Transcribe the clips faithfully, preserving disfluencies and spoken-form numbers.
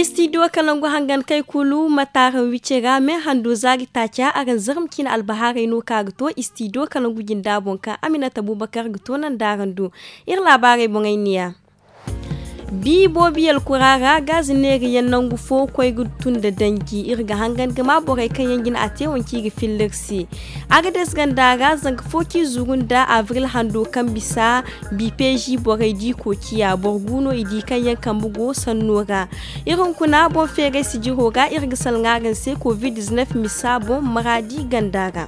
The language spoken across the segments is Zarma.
Istidiyo kalangu hangan kay kulu ma taaraŋ wice ra me hando zaari taaca araŋ zarma ciine albahaarey no kaŋ a ga to istidiyo kalangu jinda boŋ kaŋ aminata bubakar ga to nanda araŋ do. Iri laabaarey boŋey niya. Bi boobiyel kura ra gaazi neeri yaŋ nangu fo koy ga tun nda danji iri ga hangan ga ma borey kaŋ yaŋ jina a te wanci i ga filla iri se. Agades ganda ra zanka fo kaŋ i zuru nda abril hando kaŋ bisa bipeezi borey di koociya boro gu no i di kaŋ yaŋ kambe go sanno ra. Iri hunkuna boŋ feeray sijiro ga iri ga salaŋ araŋ se covid-19 misa boŋ maraadi ganda ra.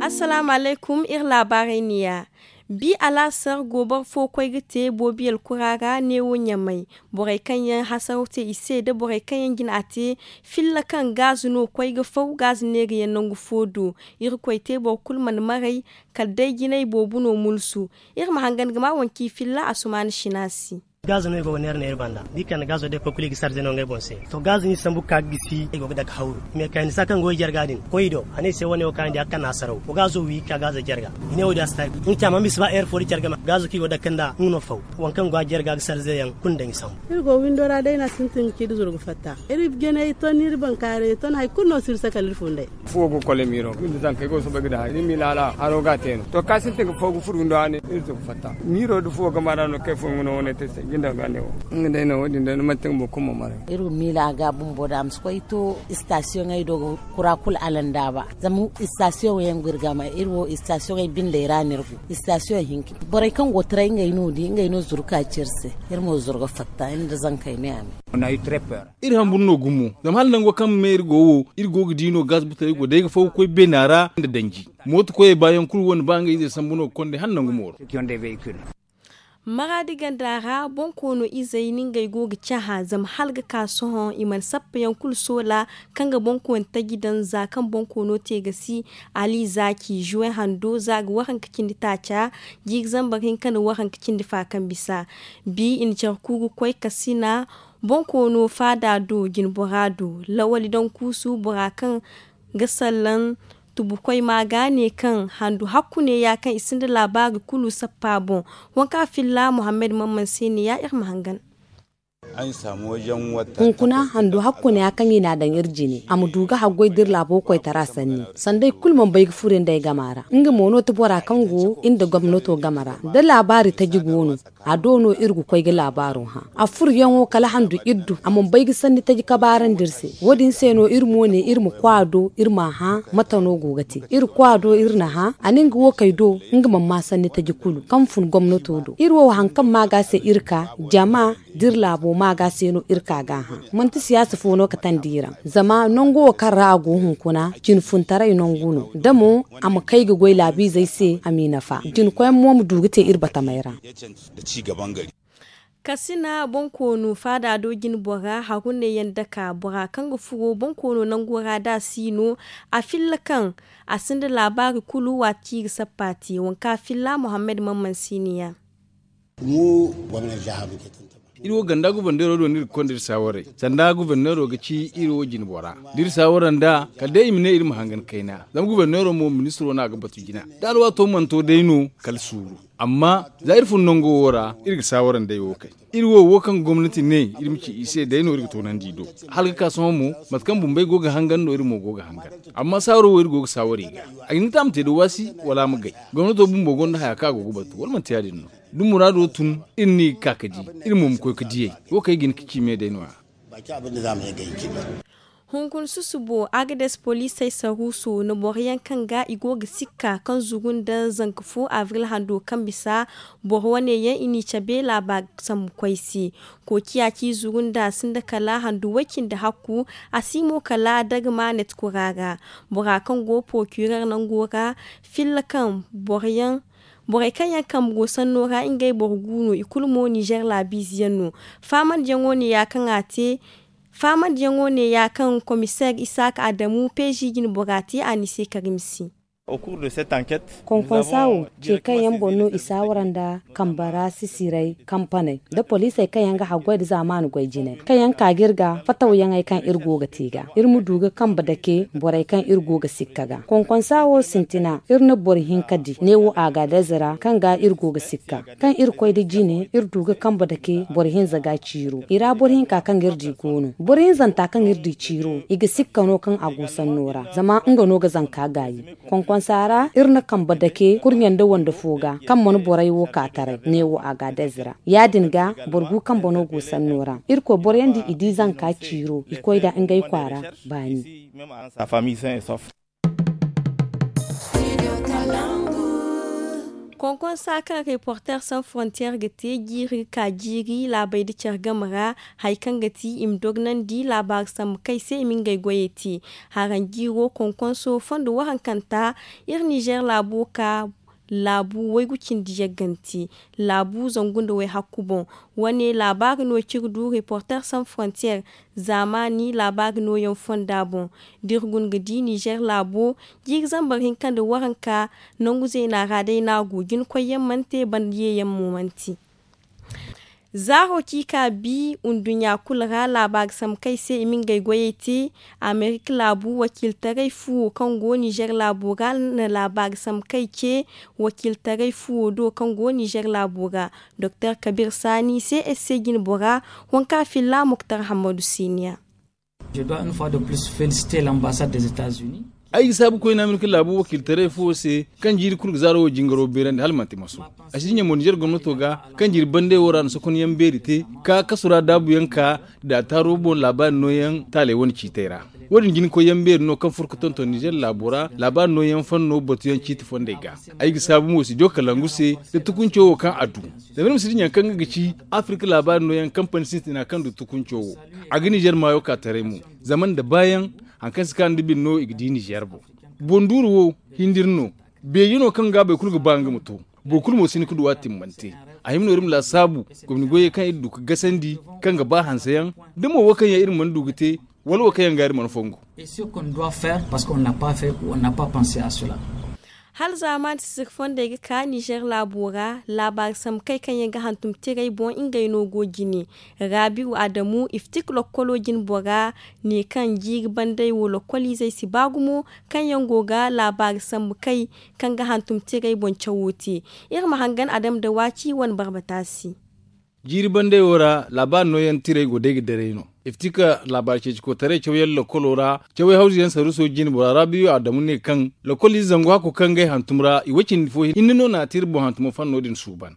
Assalaamu alaykum iri laabaarey niya. Bi alaasar gooboro fo koy ga te boobiyel kura ra neewo ɲamay. Borey kaŋ yaŋ hasaraw te i se nda borey kaŋ yaŋ jina a te filla kaŋ gaazu no koy ga faw gaazu neeri yaŋ nangu fo do. Irkoy te boro kulu mana maray kala day jinay boobo no mulsu. Iri ma hangan ga ma wanci filla asumaana sina se. Gaazo no i go ga neera neera banda da i kande gaazo day koy kulu i ga sarze no ngey boŋ se. To gaazo no i sambu ga ka ga gisi i go ga dake hawru. Mekanisa kaŋ go ga jarga din koy i do a ne i se wane wo kaŋ araŋ di a ga kande a saraw wa gaazo wi ga ka gaazo jarga. I ne wo- din a si ta nga ci a mana bisa ba heure fo da care game gaazo kaŋ i go ga dake nda nga no faw. Waŋ kaŋ go a jarga ga sarze yaŋ kulu nda i sambu. Iri go windo ra day no a sintin ga ci da zuru ga fatta. Iri janey ton iri bankaaray ton hari kulu no si iri sakal iri fundey. Fuwo go ga kole miiro ga ni zankey go ga soobay ga daŋ hari ni miila hala haro ga a te no to kaŋ a sintin ga fo ga furo windo ra ne iri to ga fatta. Miiro nda fuwo game ra no kaŋ ay furo nga no wane te se jinda ga ne wo. Nga day no wo- din day no manti nga boro kulu ma maray. Iri ga miila ga bumbo da a ma si koy to istasiyoŋey do ga kura kulu alandaaba. Zama istasiyoŋey yaŋ go iri game iri wo istasiyoŋey bindey ra no iri go. Istasiyoŋ hinka borey kaŋ go ga taray ngey no di ngey no zuru ka ci iri se. Iri mo zuru ga fatta iri nda zankey ne a me. Iri hamburu no gumo zama hala nango kaŋ me iri go wo iri go ga di no gaz butey go day ga faw ga koy beena ra nda danji. Mooto koyey baayaŋ kulu wane ba ngey izey sambu no ga konda hala nangu mooro. Maraadi ganda ra boŋ koono izey no ngey go ga cahã zama hala ga ka sohõ i mana sappa yaŋ kulu soola. Kaŋ ga boŋ kooni taji daŋ za kaŋ boŋ koono te ga si ali zaaci zuwe hando za ga waranka cindi taaca. Jiiri zambar hinka nda waranka cindi fa kaŋ bisa bi i na care ku ga koy kasina. Boŋ koono faada do jinbora do lawali daŋ kuusu bora kaŋ ga sallaŋ tubukoy ma ga ne kaŋ handu hakku ne ya kaŋ i sinda laabaari kulu sappa boŋ. Waŋ kaŋ a filla muhammad mamman se ne ya iri ma hangan. Hunkuna handu hakku ne ya kaŋ i n'a daŋ iri jine a ma du ga haggoy da iri laabo koytara sanni sanda i kulu mana bay ga furo nda ay gama ra nga mo no ti bora kaŋ go iri nda gomnato game ra da laabaari taji go no. A do no iri ga koy ga laabaaro hã a furyaŋo kala handu iri du a mana bay ga sanni taji kabaarandi iri se. Wo- din se no iri mo ne iri ma koy a do iri m'a hã mate no go ga te iri koy a do iri na hã a na nga wo kay do. Nga mana ma sanni taji kulu kaŋ fun gomnato do iri wo hari kaŋ ma ga se iri ka jama da iri laabo ma ga se no iri ka ga hã. Manti siyaasa fo no katandi iri ra zama nango wo kaŋ ra a go hunkuna jinfuntaray nangu no da mo a ma kay ga goy laabiizey se a m'i nafa jinkoyaŋ mo ma du ga te iri batamey ra. Kasina boŋ koono faada do jine bora haru ne yaŋ daka bora kaŋ ga furo boŋ koono nango ra da a si no. A filla kaŋ a sinda laabaari kulu waati kaŋ i ga sappa te waŋ kaŋ a filla muhammad mamman si ne ya. Iri wo ganda guberneero do no iri ga konda iri saawaray sanda guberneero ga ci iri wo jine bora da iri saawara nd'a kala day i ma ne iri ma hangan kayna zama guberneero mo ministiro no a ga batu jina. Da alwaato mana to day no kala suuru. Amma za iri fun nango wo ra iri ga saawara nd'ey wo kay iri wo wo kaŋ gomnati ne iri ma ci i se day no iri ga toonandi i do. Hala ga ka sohõ mo mate kaŋ bumbey go ga hangan no iri mo go ga hangan. Amma saawaro wo iri go ga saawara i ga a ga hin ga te a ma te da waasi wala a ma gay. Gomnato bumbo gonda haya kaŋ a go ga batu wala manti ya- din no? Da muraado tun iri no i ga ka ga di iri mo ma koy ga diyey wo kaŋ ay ga hin ga ci me day no- ya. Hunkuna susubo agades poliisey saruuso na boro yaŋ kaŋ ga i go ga sikka kaŋ zuru nda zanka fo abril hando kaŋ bisa. Boro wane yaŋ i n'i cabe laaba sambu koy se. Koociya ci zuru nda a sinda kala handu way-cindi hakku. A si mo kala dagamanet kura ra. Bora kaŋ go porokirer nango ra filla kaŋ boro yaŋ borey kaŋ yaŋ kambe go sanno ra ngey boro gu no i kulu mo nizer laabiize yaŋ no. Faamandiyaŋo ne ya kaŋ a te. Faamandiyaŋo ne ya kaŋ komiseer isaaka adamu peezi jine bora te a n'i se karim se. Konkonsa wo ce kaŋ yaŋ boŋ no i saawara nda kamba ra sisiray kampaney nda poliisey kaŋ yaŋ ga haggoy nda zaamaani goy jinay kaŋ yaŋ ka ga iri ga fatawyaŋey kaŋ iri go ga te ga iri ma du ga kambe dake borey kaŋ iri go ga sikka ga. Konkonsa wo sintina iri na boro hinka di neewo agadez ra kaŋ ga iri go ga sikka kaŋ iri koy nda jine iri du ga kambe dake boro hinza ga ciiro i ra boro hinka kaŋ ga iri di go no boro hinzanta kaŋ iri di ciiro i ga sikka no kaŋ a go sanno ra zama nga no ga zanka gaayi. Konkonsa ra iri na kambe dake kurɲe nda wande fo ga kaŋ mana borey wo ka taray neewo agadez ra ya- din ga boro gu kambe no go sanno ra. Irkoy boroyaŋ di i di zanka ciiro i koy nda ngey kwaara baani. Konkonsa kaŋ reporter san frontier ga te jiiri ga ka jiiri laabey nda care game ra hari kaŋ ga ti i ma dognandi laabaari sambu kaŋ i se i ma ngey goyey te. Haranjiiro konkonso fondo wahankanta iri nizer laabo ka laabu waygu cindi yagganti laabu zangu nda wayhakku boŋ. Wane laabaari no ciri du reporter san frontier zaamaani laabaari nooyaŋ fonda boŋ. Da iri guna ga di nizer laabo jiiri zambar hinka nda waranka nangu zeena ra day no a go jinakoyyaŋ mana te banda yeeyaŋ mo mana te. Zaaro ci ka bi nduɲɲa kulu ra laabaari sambu kaŋ i se i ma ngey goyey te. Amerika laabu wakiiltaray fuwo kaŋ go nizer laabo ra na laabaari sambu kaŋ i ce wakiiltaray fuwo do kaŋ go nizer laabo ra. Doktor kabir saani se ese jine bora wanka filla muktar hammadu siniya. Ay ga saabu koyne amerika laabu wakiiltaray fuwo se kaŋ jiiri kulu ga zaaro wo jingaro beerandi hala manti maso. A si dinya mo nizer gomnato ga kaŋ jiiri bandey wo ra na sokonyaŋ beeri te ka kasu ra daabuyaŋ ka da a taaro boŋ laabaari nooyaŋ taaley wane ciitey ra. Wo- din jinakoyyaŋ beeri no kaŋ furo ga tonton nizer laabo ra laabaari nooyaŋ fanno batuyaŋ ciiti fondey ga. Ay ga saabu mo si jo kalangu se nda tukunco wo kaŋ a du. Zama iri ma si dinya kaŋ nga ga ci afirika laabaari nooyaŋ kampani sintina kaŋ du tukunco wo. A ga nizer maayo ka taray mo zama nda baayaŋ hari kaŋ si ka nda bine no i ga di nizer boŋ. Boŋ duuru wo hindiri no. Beeji no kaŋ ga boro kulu ga ba nga ma to. Boro kulu mo si hin ga du a timmante. A hima no iri ma laasaabu gomni goyey kaŋ iri du ga gasandi kaŋ ga ba hanseyaŋ da mo wo kaŋ yaŋ iri mana du ga te wala wo kaŋ yaŋ ga iri mana fongu. Hala zaamaani sisiri fondey ga ka nizer laabo ra laabaari sambu kay kaŋ yaŋ ga hantum tirey boŋ ngey no go jine. Raabi'u adamu iftik lokkolo jine bora ne kaŋ jiiri bandey wo lokkoliizey si ba gumo kaŋ yaŋ go ga laabaari sambu kay kaŋ ga hantum tirey boŋ cawo te. Iri ma hangan adamu da waaci wane barbata se. Jiiri bandey wo ra laabaari nooyaŋ tirey go day ga daray no. Iftika laabaari ceeci kootaray cawyaŋ lokkolo ra caway hawzuyaŋ saruuso jine bora raabiyo adamu ne kaŋ lokkoliize zangu hakko kaŋ ngey hantum ra i way cindi fo hinne no na a te iri boŋ hantumo fanno din suuban.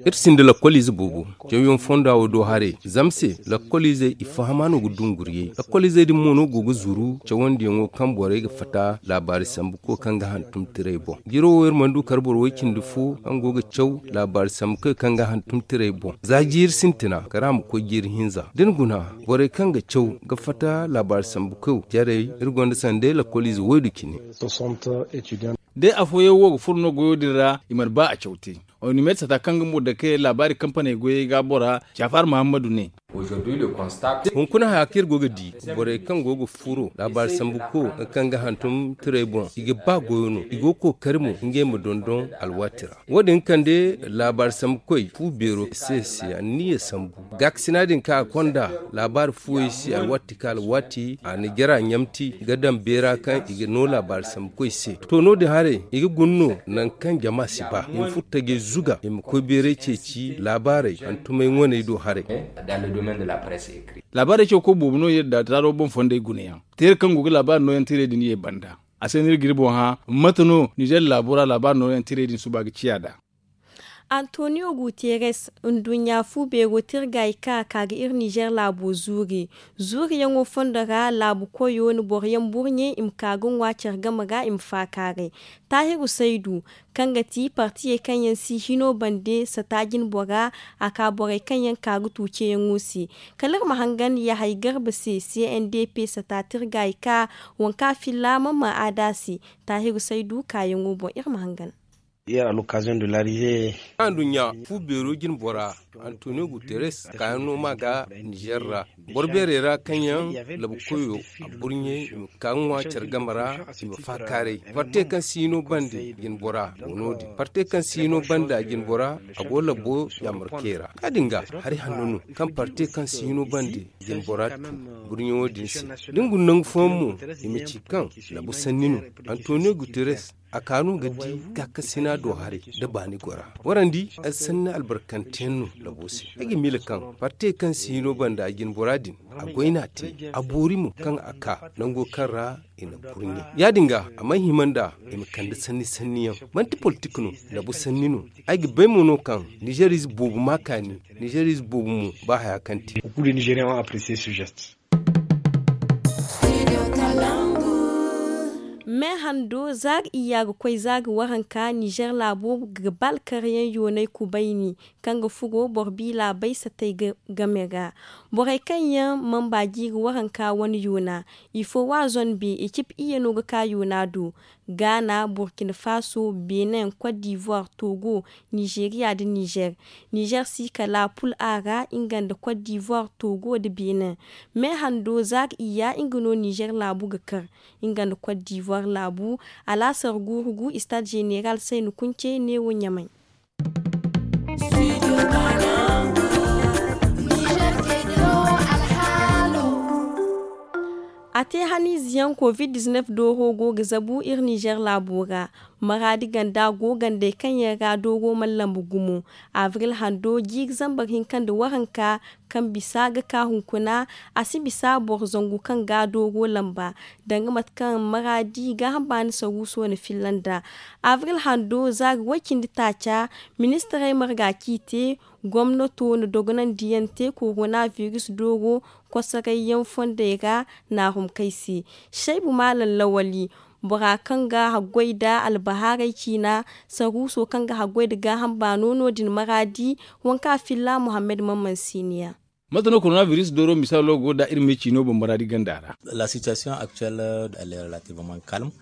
Iri sinda lakkoliize boobo. Cawyaŋ fonda wo do haray zama se lakkoliizey i fahama no ga dunguriyey lakkoliizey din mo no go ga zuru cawandiyaŋo kaŋ borey ga fatta laabaari sambu ko kaŋ ga hantum tirey boŋ. Jiro wo iri mana du kar boro way cindi fo kaŋ go ga caw laabaari sambu koy kaŋ ga hantum tirey boŋ za jiiri sintina kara ma koy jiiri hinza da ni guna borey kaŋ ga caw ga fatta laabaari sambu koy jarey. Iri gonda sanda lakkoliize waydu cine. Day afooyaŋ wo ga furo no goyo din ra i mana ba a caw te. Onimed sata kaŋ ga mo dake laabaari kampaney goyey ga bora jaafar muhammadu ne. Hunkuna haya kaŋ iri go ga di borey kaŋ go ga furo laabaari sambu ko kaŋ ga hantum tirey boŋ i ga ba goyo no i go ga kookari mo ngey ma dondon alwaati ra. Wo- din kande laabaari sambu koy fu beero se se anniya sambu gaakasina din kaŋ a konda laabaari fuwey se alwaati ka alwaati a na jara ɲamti ga daŋ beera kaŋ i ga no laabaari sambu koy se. To no- din haray i ga guna no nangu kaŋ jama si ba i ma furo tajey zuga i ma koy beeray ceeci laabaarey hantumey ŋwaney do haray. Laabaarey caw koy boobo no iri da taaro boŋ fondey gunayaŋ teera kaŋ go ga laabaari nooyaŋ tirey din ye banda. A se no iri ga iri boŋ hã mate no nizer laabo ra laabaari nooyaŋ tirey din suba ga ciya nd'a. Antonio guterres nduɲɲa fu beero tirgaayi kaŋ a ka ga iri nizer laabo zuuri. Zuuriyaŋo fondo ra laabu koyo na boroyaŋ burɲe i ma ka ga ŋwa care game ra i ma faakaaray. Taahiru saydu kaŋ ga ti partiyey kaŋ yaŋ si hino bande sata jine bora a ka borey kaŋ yaŋ ka ga tu ceeyaŋo se. Kala iri ma hangan yahay garba se c n d p sata tirgaayi ka wanka filla mamman aada se. Taahiru saydu kaayaŋo boŋ iri ma hangan. Anduɲɲa fu beero jine bora, antonio guterres kaayaŋ no ma ga nizer ra. Boro beerey ra kaŋ yaŋ labu koyo a burɲey i ma ka ga ŋwa care game ra, i ma faakaaray parte kaŋ si hino bande jine bora. Go no- din parte kaŋ si hino bande a jine bora, a go labo yaamarkey ra. Ya- din ga hari hanno no kaŋ parte kaŋ si hino bande jine bora tu burɲey wo- din se. Da ni guna nangu fooyaŋ mo, i ma ci kaŋ labu sanni no. Antonio guterres a ka no ga di gaakasina do haray nda baani gora. Warandi ay sanni albarkanteyaŋ no labo se. Ay ga miila kaŋ parte kaŋ si hino banda jine bora din a goy no a te. A boori mo kaŋ a ka nango kaŋ ra i na burɲe. Ya- din ga a mana hima nda i ma kande sanni sanni yaŋ. Manti politik no, labu sanni no. Ay ga bay mo no kaŋ nizer ize boobo ma kaani, nizer ize boobo mo ba haya kaŋ te. Me hando za ga iyya ga koy za ga waranka nizer laabo ga ba alkaryaŋ yoonay kubayni kaŋ ga furo boro bi laabey satay game ra. Borey kaŋ yaŋ mamba jiiri waranka wane yoona, ifo wa zonbe ekip iyye no ga ka yoona do. Gaana, burkina faso, benin, cote d'ivoire, togo, nizeriya nda nizer. Nizer si kala pul a ra nga nda cote d'ivoire, togo nda benin. Me hando za ga iyya nga no nizer laabu ga kar nga nda cote d'ivoire laabu. Alaasar guuru gu istade zeneral sayni kunce neewo ɲamay. A te haniize yaŋ covid dizinef dooro go ga zabu iri nizer laabo ra. Maraadi ganda go gandey kaŋ yaŋ ra dooro mana lambu gumo. Avril hando jiiri zambar hinka nda waranka kaŋ bisa ga ka hunkuna, a si bisa boro zangu kaŋ ga dooro lamba. Danga mate kaŋ maraadi gaaham baani saruuso na filla nda avril hando za ga way cindi taaca. Ministirey marga k'i te. Gomnato na dogonandiyaŋ te korona biris dooro kosoray yaŋ fondey ra. Naahum kay se. Saybu maalam lawali bora kaŋ ga haggoy nda albahaarey ciina saruuso kaŋ ga haggoy nda gaaham baano no- din maraadi. Waŋ kaŋ a filla muhammad mamman siiniya. Mate no korona biris dooro misaalo go nda iri me ciino boŋ maraadi ganda ra?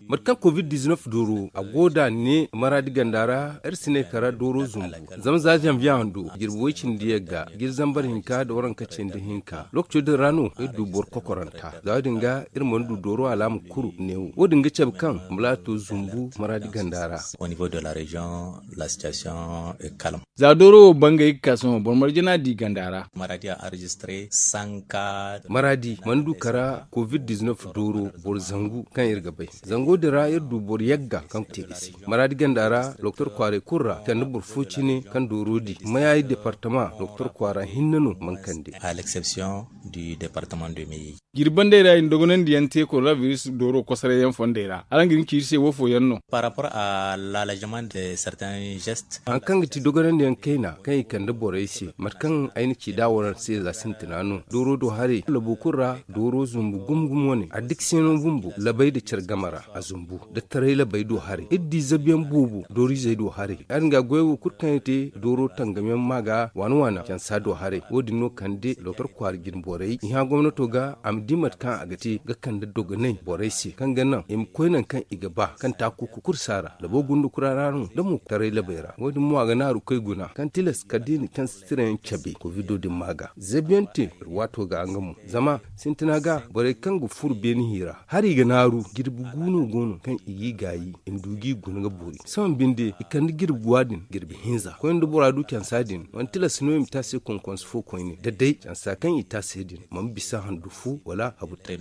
Mate kaŋ covid dizinef dooro a go nda ne maraadi ganda ra iri si ne kara dooro zumbu. Zama za zanviye hando jirbi way cindi yagga jiri zambar hinka nda waranka cindi hinka lookaco din ra no iri du boro kokoranta za wo- din ga iri mana du dooro alaama kuru neewo wo- din ga cabe kaŋ mala to zumbu maraadi ganda ra. Za dooro wo bangay ga ka sohõ boro marje no a di ganda ra. Maraadi mana du kara covid dizinef dooro boro zangu kaŋ iri ga bay. Zango din ra iri du boro yagga kaŋ te ga si maraadi ganda ra doktor kwaaray kulu ra kande boro fo cine kaŋ dooro di mayayi departama doktor kwaara hinne no mana kande. Jirbi bandey ra i na dogonandiyaŋ te koronabiris dooro kosoray yaŋ fondey ra araŋ ga hin ci iri se wo fooyaŋ no. Hari kaŋ ga ti dogonandiyaŋ kayna kaŋ i kande borey se mate kaŋ ay na ci da waraŋ se za sintina no dooro do haray labo kulu ra. Dooro zumbu gumo gumo wane addikasino bumbo labay nda care game ra a zumbu nda taray labay do haray iri di zabiyaŋ boobo dooriizey do haray. Ya- din ga goyo wo kulu kaŋ i te dooro tangamiyaŋ ma ga waana waana cansa do haray wo- din no kande doktor kwaara jine borey i hã gomnato ga a ma di mate kaŋ a ga te ga kande dogonay borey se kaŋ ga naŋ i ma koy nangu kaŋ i ga ba kaŋ taaku ga kursa ra labo gundukura ra no da mo taray labey ra wo- din mo a ga naaru koy guna kaŋ tilas kala da i na cansa tirayaŋ cabe kovido din ma ga zabiyaŋ te. Waato ga nga mo zama sintina ga borey kaŋ ga furo beene hi ra hari ga naaru jirbi gu no go no kaŋ i g'i gaayi i ma du g'i guna ga boori sohõ binde i kande jirbi guwa din jirbi hinza koyne da bora du cansa din mana tilas no i ma te a se konkonse fo koyne da day cansa kaŋ i te a se din mana bisa handu fu wala habu te.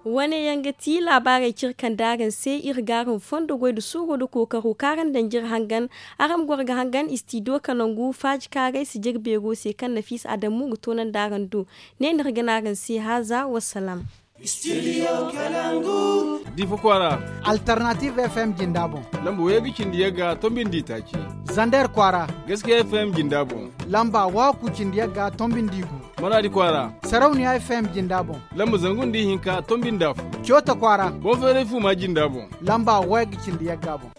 Wane yaŋ ga ti laabaarey cire kaŋ daaraŋ se iri ga araŋ fondo goy nda suuro nda kookaro kaŋ araŋ daŋ jire hangan. Araŋ ma goro ga hangan istidiyo kanangu faaji kaaray si jire beero se kaŋ nafiisa adamu ga toonandi araŋ do. Ne no iri ga ne araŋ se haaza wassalaam. Difa kwaara. Alternative fm jinda boŋ. Lamba wayye ga cindi yagga tombi nda itaaci. Zander kwaara. Gaskiya fm jinda boŋ. Lamba waku cindi yagga tombi nda igu. Maradi kwaara. Sarauniya fm jinda boŋ. Lamba zangu nda ihinka tombi nda afo. Coota kwaara. Boŋ feeray fu ma jinda boŋ. Lamba wayye ga cindi yagga boŋ.